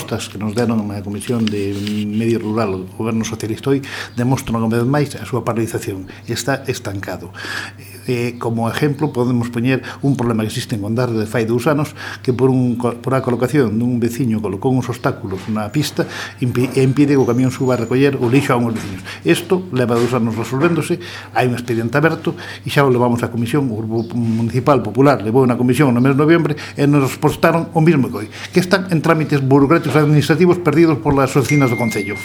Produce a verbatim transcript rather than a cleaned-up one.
respostas que nos deron na Comisión de Medio Rural do Goberno Socialista hoy demostran unha vez máis a súa paralización. Está estancado. Eh, como exemplo podemos poñer un problema que existe en Gondardo de fai dous anos, que por, un, por a colocación dun veciño colocou uns obstáculos na pista e impide que o camión suba a recoller o lixo a uns veciños. Isto leva dous anos resolvéndose, hai un expediente aberto e xa o levamos á Comisión. O Grupo Municipal Popular levou na Comisión no mes de noviembre e nos respostaron o mismo que hoy, que están en trámites burocráticos administrativos perdidos por las oficinas do Concello.